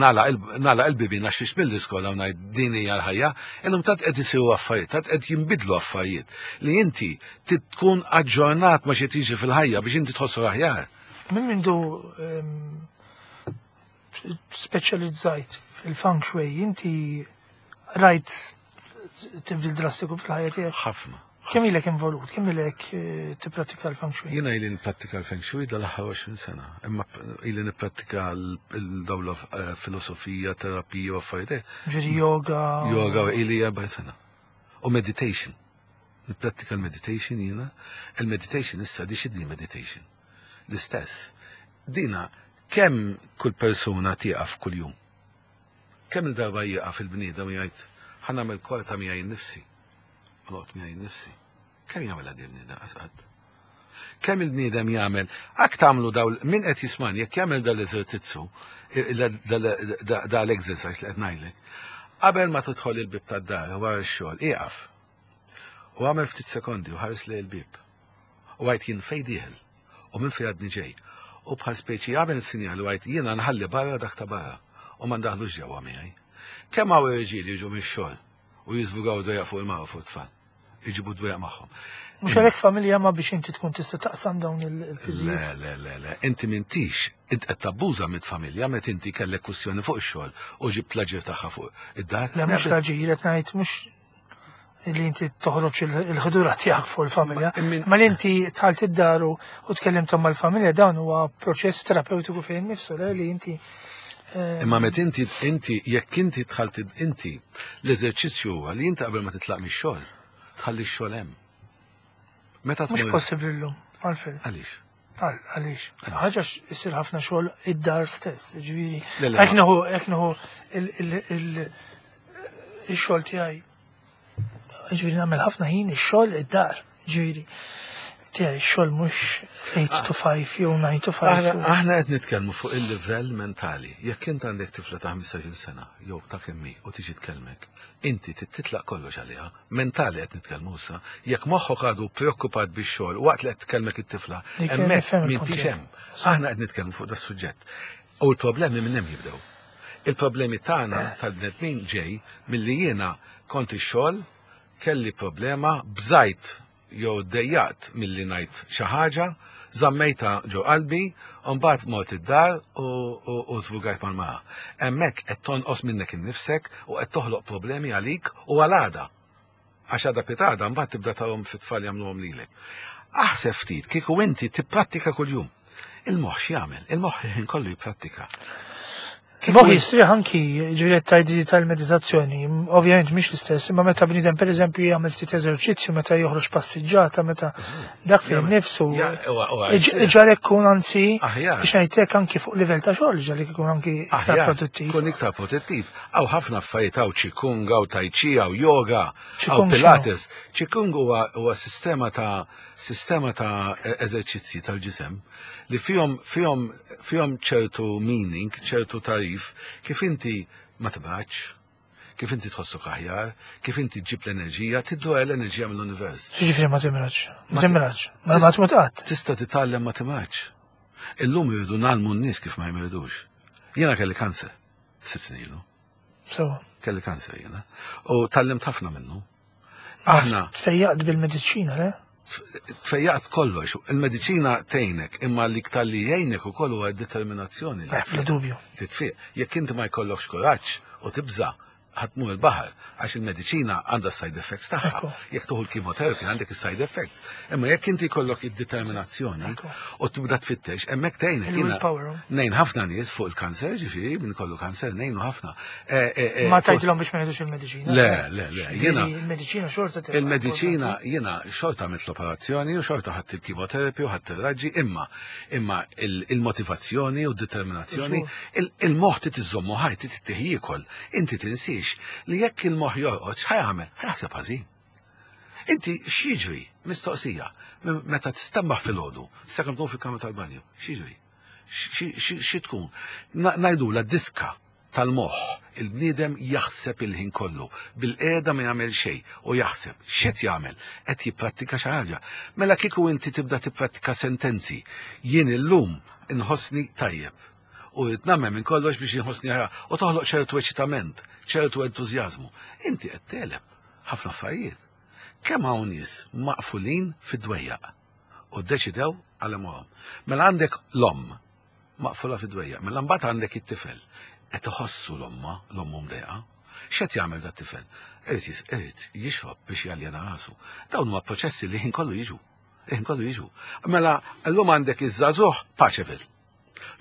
nagħlaq il-bibien għax mill-iskola u ngħid din hija l-ħajja, illum tant qed isiru affarijiet, tant qed jinbidlu affarijiet li inti tkun aġġornat ma xi tiġi fil-ħajja biex inti tħossu aħjar. Minn mindu ehm, speċjalizzajt fil-feng shui, inti rajt tibdil drastiku fil-ħajja tiegħek? Ħafna. Kemm ilek involut, kemm ilek eh, tipprattika l-feng shui? Jiena ili nipprattika l-feng shui dal-aħħar għoxrin sena, imma ili nipprattika l-dawla eh, filosofija, terapija u affarijiet. Ġifieri yoga. Yoga ili erbgħin sena. U meditation. Nipprattika l-meditation jiena. Il-meditation issa di x'inhi meditation? L-istess. Dina, kemm kull persuna tieqaf kull jum? Kemm il-darba jieqaf il-bniedem u jgħid, "Ħa nagħmel kwarta miegħi nnifsi. Noqgħod miegħi nnifsi." Kemm jagħmel għadi il-bniedem qasqad? Kemm il-bniedem jagħmel, ak tagħmlu daw, min qed jismani, jekk jagħmel dal-eżertizzu, dal-exercise li qed ngħidlek, qabel ma tidħol il-bib tad-dar wara x-xogħol, ieqaf. U għamel ftit sekondi u ħares lejn il-bib. U għid, "Jien fejn dieħel u minn fejn għadni ġej." U bħal speċi għamel sinjal u għid, "Jiena nħalli barra dak ta' barra u ma ndaħlux ġewwa miegħi." Kemm hawn irġiel jiġu mix-xogħol u jiżvugaw dwejjaq fuq il-mara, fuq it-tfal? Iġibu dwejjaq magħhom. Mhux għalhekk familja ma biex inti tkun tista' taqsam dawn il-piżijiet. Le, le, le, le, inti m'intix, int qed tabbuża mit-familja meta inti kellek kwistjoni fuq ix-xogħol u ġibt l-aġir tagħha fuq id-dar. Le, mhux l-aġir, qed ngħid mhux li inti toħroġ il-ħdura tiegħek fuq il-familja, ma li inti dħalt id-dar u tkellimtom mal-familja, dan huwa proċess terapeutiku fejn nifsu, le li inti eh, Imma met inti inti jekk inti dħalt inti, l-eżerċizzju huwa li inti qabel ma titlaq mix-xogħol, tħalli x-xogħol hemm. Meta Mhux possibbli llum, għalfejn. Għaliex? Għaliex? Ħaġa issir ħafna xogħol id-dar stess, ġifieri. Hekk nieħu hekk nieħu il-xogħol tiegħi. Ġifieri nagħmel ħafna ħin ix-xogħol id-dar, ġifieri. Tiegħi x-xogħol mhux eight to five jew nine to five. Aħna qed nitkellmu fuq il-livell mentali. Jekk int għandek tifla ta' ħmistax-il sena jew ta' kemm hi u tiġi tkellmek, inti titlaq kollox għaliha, mentali qed nitkellmu issa, jekk moħħok għadu preokkupat bix-xogħol waqt li qed tkellmek it-tifla, hemmhekk m'intix hemm. Aħna qed nitkellmu fuq das-suġġett. U l-problemi minn hemm jibdew. Il-problemi tagħna tal-bnedmin ġej milli jiena kont ix-xogħol, kelli problema, bżajt jew dejjaqt milli ngħid xi ħaġa, żammejta ġo qalbi, u mbagħad mort id-dar u żvugajt mal-mara. Hemmhekk qed tonqos minnek innifsek u qed toħloq problemi għalik u għal għada. Għax għada pitgħada mbagħad tibda tarhom fit-tfal jagħmluhom lilek. Aħseb ftit kieku inti tipprattika kuljum. Il-moħħ x'jagħmel? Il-moħħ ħin kollu jipprattika. Moħħ jistrieħ anki, ġifieri tajdi tal-meditazzjoni, ovvjament mhix l-istess, imma meta bniedem pereżempju jagħmel ftit eżerċizzju, meta joħroġ passiġġata, meta dak fejn nifsu ġarek kun anzi biex ngħidlek anki fuq livell ta' xogħol ġarek ikun anki iktar produttiv. Kun iktar produttiv. Hawn ħafna affarijiet, hawn qigong, hawn tai chi, hawn yoga, hawn pilates. Qigong huwa sistema ta' sistema ta' eżerċizzji tal-ġisem li fihom fihom fihom ċertu meaning, ċertu tarif, kif inti ma tibgħatx, kif inti tħossok aħjar, kif inti ġib l-enerġija, tiddu l-enerġija mill-univers. Ġifieri ma timraġ, ma timraġ, ma ma tmut qatt. Tista' titgħallem ma timraġ. Illum irridu ngħallmu n-nies kif ma jmirdux. Jiena kelli kanser, sitt snin ilu. So. Kelli kanser jiena. U tgħallimt ħafna minnu. Aħna. Tfejjaqt bil-mediċina, le? Tfejjaqt kollox. Il-mediċina tgħinek, imma l-iktar li jgħinek ukoll huwa determinazzjoni. Bla dubju. Titfiq. Jekk inti ma jkollokx kuraġġ u tibża', ħa tmur il-baħar, għax il-mediċina għandha side effects tagħha. Jekk tieħu l-chemotherapy għandek is-side effects. Imma jekk inti jkollok id-determinazzjoni u tibda tfittex, hemmhekk tgħinek. Ngħin ħafna nies fuq il-kanser, ġifieri min kollu kanser ngħinu ħafna. Eh, eh, eh, Ma tgħidilhom biex ma jieħdux il-mediċina. Le, le, le, jiena il-mediċina xorta Il-mediċina jiena xorta għamilt l-operazzjoni u xorta ħadt il-chemotherapy u ħadt ir-raġġi, imma imma il-motivazzjoni u d-determinazzjoni, il-moħħ trid iżommu ħaj, trid ittih jiekol. Inti tinsiex li jekk il-moħħ jorqod, x'ħa jagħmel? Ħa jaħseb ħażin. Inti x'jiġri? Mistoqsija. Meta tistembaħ filgħodu, sakemm tkun fil-kamra tal-banju, x'jiġri? Xi tkun? Ngħidula diska tal-moħħ, il-bniedem jaħseb il-ħin kollu, bil-qiegħda ma jagħmel xejn u jaħseb. X'qed jagħmel? Qed jipprattika xi ħaġa. Mela kieku inti tibda tipprattika sentenzi, "Jien illum inħossni tajjeb u rrid nagħmel minn kollox biex inħossni aħjar", u toħloq ċertu eċitament, ċertu entużjażmu. Inti qed tegħleb ħafna affarijiet. Kemm hawn nies maqfulin fid-dwejjaq u ddeċidew għal għomorhom. Mela għandek l-omm maqfula fid-dwejjaq, mela mbagħad għandek it-tifel qed iħossu l-omma, l-ommu mdejqa. X'qed jagħmel dat tifel? Irid irid jixrob biex jaljena rasu. Dawn huma proċessi li ħin kollu jiġu. Ħin kollu jiġu. Mela llum għandek iż-żagħżugħ Paceville.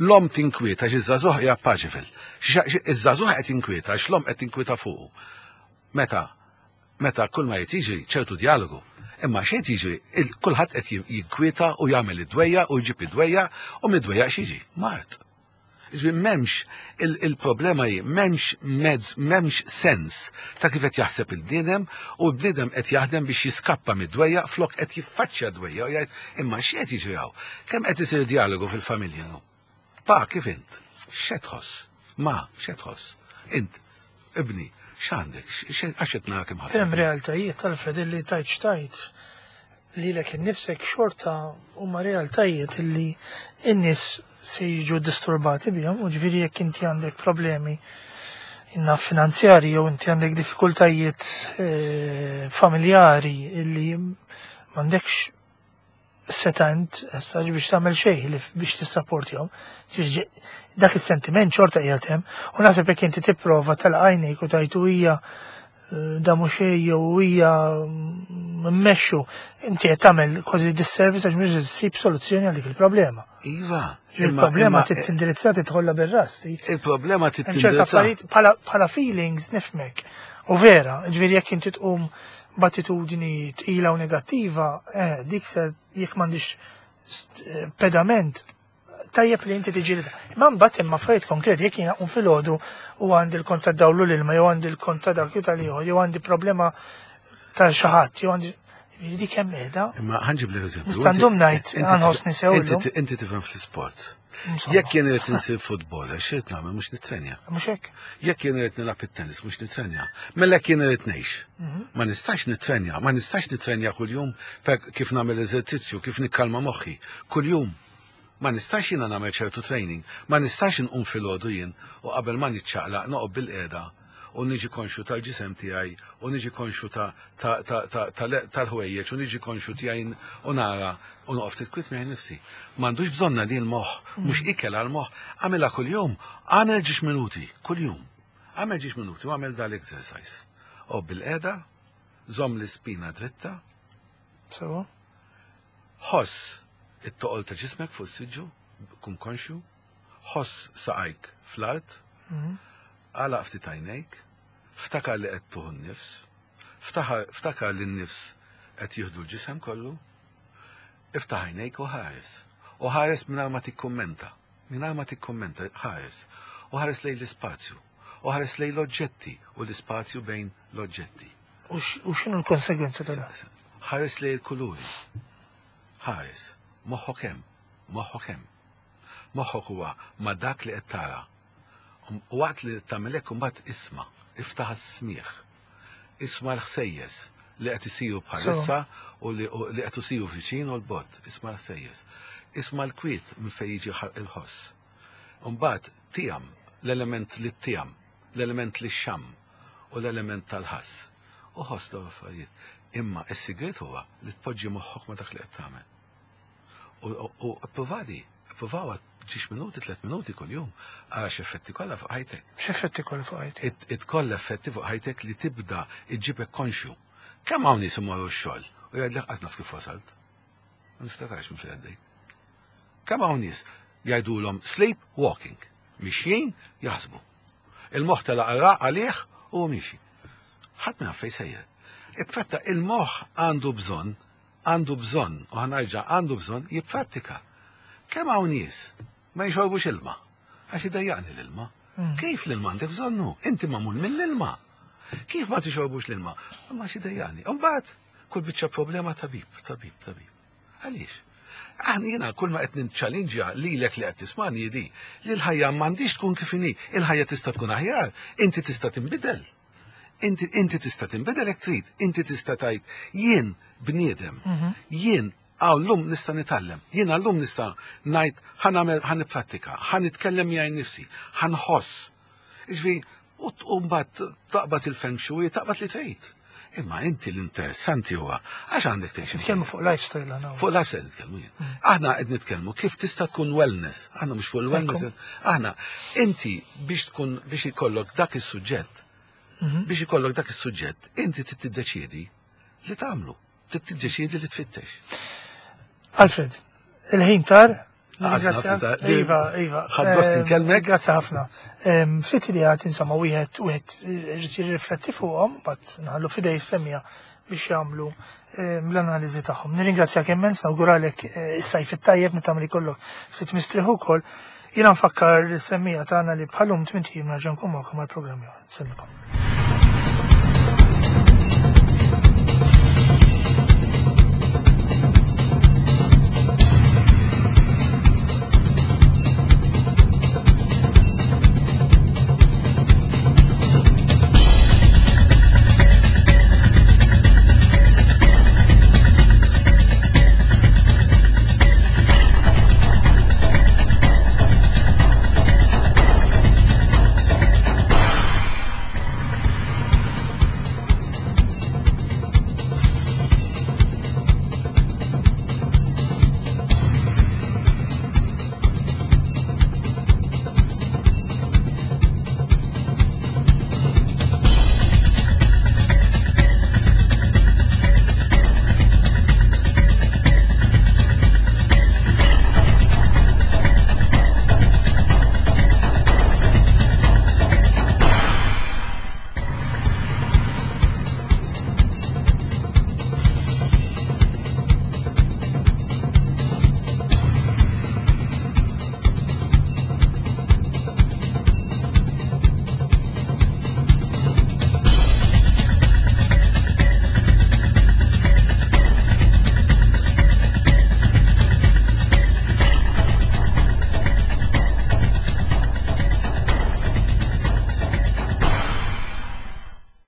L-omm tinkwieta għax iż-żagħżugħ hija Paceville. Iż-żagħżugħ qed jinkwieta għax l-omm qed tinkwieta fuqu. Meta meta kull ma jiġri ċertu dialogu. Imma xejn jiġri, kulħadd qed jinkwieta u jagħmel id-dwejja u jġib id-dwejja u mid-dwejja x'jiġi? Mard. Ġifieri m'hemmx il-problema hi m'hemmx mezz, m'hemmx sens ta' kif qed jaħseb il-bniedem u l-bniedem qed jaħdem biex jiskappa mid-dwejja flok qed jiffaċċja dwejja u jgħid imma x'qed jiġri hawn? Kemm qed isir dialogu fil-familja llum? Pa, kif int? X'qed tħoss? Ma, x'qed tħoss? Int, ibni, x'għandek? Għax qed narak imħasseb. Hemm realtajiet Alfred illi tajt xtajt lilek innifsek xorta huma realtajiet illi n-nies se jiġu disturbati bihom, u ġifieri jekk inti għandek problemi inna finanzjari jew inti għandek diffikultajiet eh, familjari illi m'għandekx setant issa biex tagħmel xejn li biex tissapportihom. Ġifieri dak is-sentiment xorta qiegħed hemm u naħseb jekk inti tipprova tal-għajnejk u tajtu hija eh, da mhux xejn jew hija mmexxu inti qed tagħmel kważi disservice għax mhux issib soluzzjoni għal dik il-problema. Iva. Il-problema trid tindirizza tidħolla bir-ras. Il-problema Hemm ċerta tittindirizza. affarijiet bħala bħala feelings nifhmek. U vera, ġifieri jekk inti tqum b'attitudni tqila u negattiva, eh, dik se jekk m'għandix eh, pedament tajjeb li inti tiġi Imma mbagħad hemm affarijiet konkreti jekk jiena qum filgħodu u għandi l-kont ta' dawlu l-ilma jew għandi l-kont ta' dak jew tal-ieħor jew għandi problema ta' xi ħadd jew għandi dik hemm qiegħda. Imma ħa nġib l-eżempju. Nista' ndum ngħid għanħossni sew Inti illum. inti tifhem fl-sports. Insomma. Jekk jien irid insir futboler, x'irid nagħmel mhux nitrenja. Mhux hekk. Jekk jien irid nilgħab it-tennis mhux nitrenja. Mela jekk jien irid ngħix. Mhm. Ma nistax nitrenja, ma nistax nitrenja kuljum per kif nagħmel eżerċizzju, kif nikkalma moħħi. Kuljum. Ma nistax jiena nagħmel ċertu training, ma nistax inqum filgħodu jien u qabel ma niċċaqlaq noqgħod bil-qiegħda u niġi konxu tal-ġisem tiegħi u niġi konxu ta' ta' ta' ta' tal- tal-ħwejjeġ u niġi konxu tiegħi u nara u noqgħod ftit kwiet miegħi nifsi. M'għandux bżonna li l-moħħ, mhux ikel għal-moħħ, għamilha kuljum, għamel ġiex minuti, kuljum. Għamel ġiex minuti u għamel dal-exercise. U bil-qiegħda, żomm l-ispina dritta, So, ħoss it-toqol ta' ġismek fuq is-siġġu, kun konxju, ħoss saqajk fl-art, mhm. għalaq ftit għajnejk, ftakar li qed tieħu n-nifs, ftakar ftakar li n-nifs qed jieħdu l-ġisem kollu, iftaħ għajnejk u ħares. U ħares mingħajr ma tikkummenta, mingħajr ma tikkummenta, ħares. U ħares lejn l-ispazju, u ħares lejn l-oġġetti u l-ispazju bejn l-oġġetti. U x- u x'inhu l-konsegwenza ta' dan? Ħares lejn il-kuluri. Ħares, moħħok hemm, moħħok hemm. Moħħok huwa ma dak li qed tara. U waqt li tagħmel hekk imbagħad isma', iftaħ is-smieħ. Isma' l-ħsejjes li qed isiru bħalissa u li u li qed isiru viċin u l-bogħod. Isma' l-ħsejjes. Isma' l-kwiet minn fejn jiġi ħa- il-ħoss. Mbagħad tiegħem l-element li tiegħem, l-element li xam u l-element tal-ħass. U ħoss dawn l-affarijiet. Imma is-sigriet huwa li tpoġġi moħħok ma dak li qed tagħmel. U u provadi, provawa ġiex minuti, tliet minuti kuljum, għax effetti kollha fuq ħajtek. X'effetti kollu fuq ħajti? It it kollha effetti fuq ħajtek li tibda iġġibek konxju. Kemm hawn nies imorru x-xogħol u jgħidlek qas naf kif wasalt. Ma niftakarx minn fejn għaddejt. Kemm hawn nies jgħidulhom sleep walking, mixjin jaħsbu. Il-moħħ telaq għalih u miexi. Ħadd ma jaf fejn sejjer. Ipprattika il-moħħ għandu bżonn, għandu bżonn, u ħa nerġa' għandu bżonn jipprattika. Kemm hawn nies ma jixorbux ilma, għax idejjaqni l-ilma. Mm. Kif l-ilma għandek bżonnu? Inti magħmul mill-ilma. Kif ma tixorbux l-ilma? Ma x'idejjaqni. Imbagħad kull biċċa problema tabib, tabib, tabib. Għaliex? Aħna jiena kull ma qed ninċallinġja lilek li qed tismani di li l-ħajja m'għandix tkun kif inhi, il-ħajja tista' tkun aħjar, inti tista' tinbidel. Inti inti tista' tinbidel jekk trid, inti tista' tgħid jien bniedem, Mhm. jien għaw llum nista' nitgħallem, jien għallum nista' ngħid ħa nagħmel ħa nipprattika, ħa nitkellem miegħi nnifsi, ħa nħoss. Ġifieri, u t- u mbagħad taqbad il-feng shui, taqbad li tgħid. Imma inti l-interessanti huwa għax għandek tgħix. Nitkellmu fuq lifestyle għana. Fuq lifestyle nitkellmu jien. Aħna qed nitkellmu kif tista' tkun wellness. Aħna mhux fuq il-wellness. Aħna inti biex tkun biex ikollok dak is-suġġett Mhm. Biex ikollok dak is-suġġett, inti trid tiddeċiedi li tagħmlu, trid tiddeċiedi li tfittex. Alfred, il-ħin tar. Għażla ħafna ta' Iva, iva. Ħadt gost Ehm, inkellmek. Grazzi ħafna. Ehm, Ftit ideat, insomma, wieħed wieħed irid jirrifletti fuqhom, but nħallu f'idej is-semmiegħa biex jagħmlu ehm, l-analiżi tagħhom. Nirringrazzjak immens, nawguralek eh, is-sajf it-tajjeb, nittama li jkollok ftit mistrieħ ukoll. Jiena nfakkar is-semmiegħa tagħna li bħal-lum tmint ijiem nerġa' nkun magħkom għall-programm ieħor. Insellmilkom.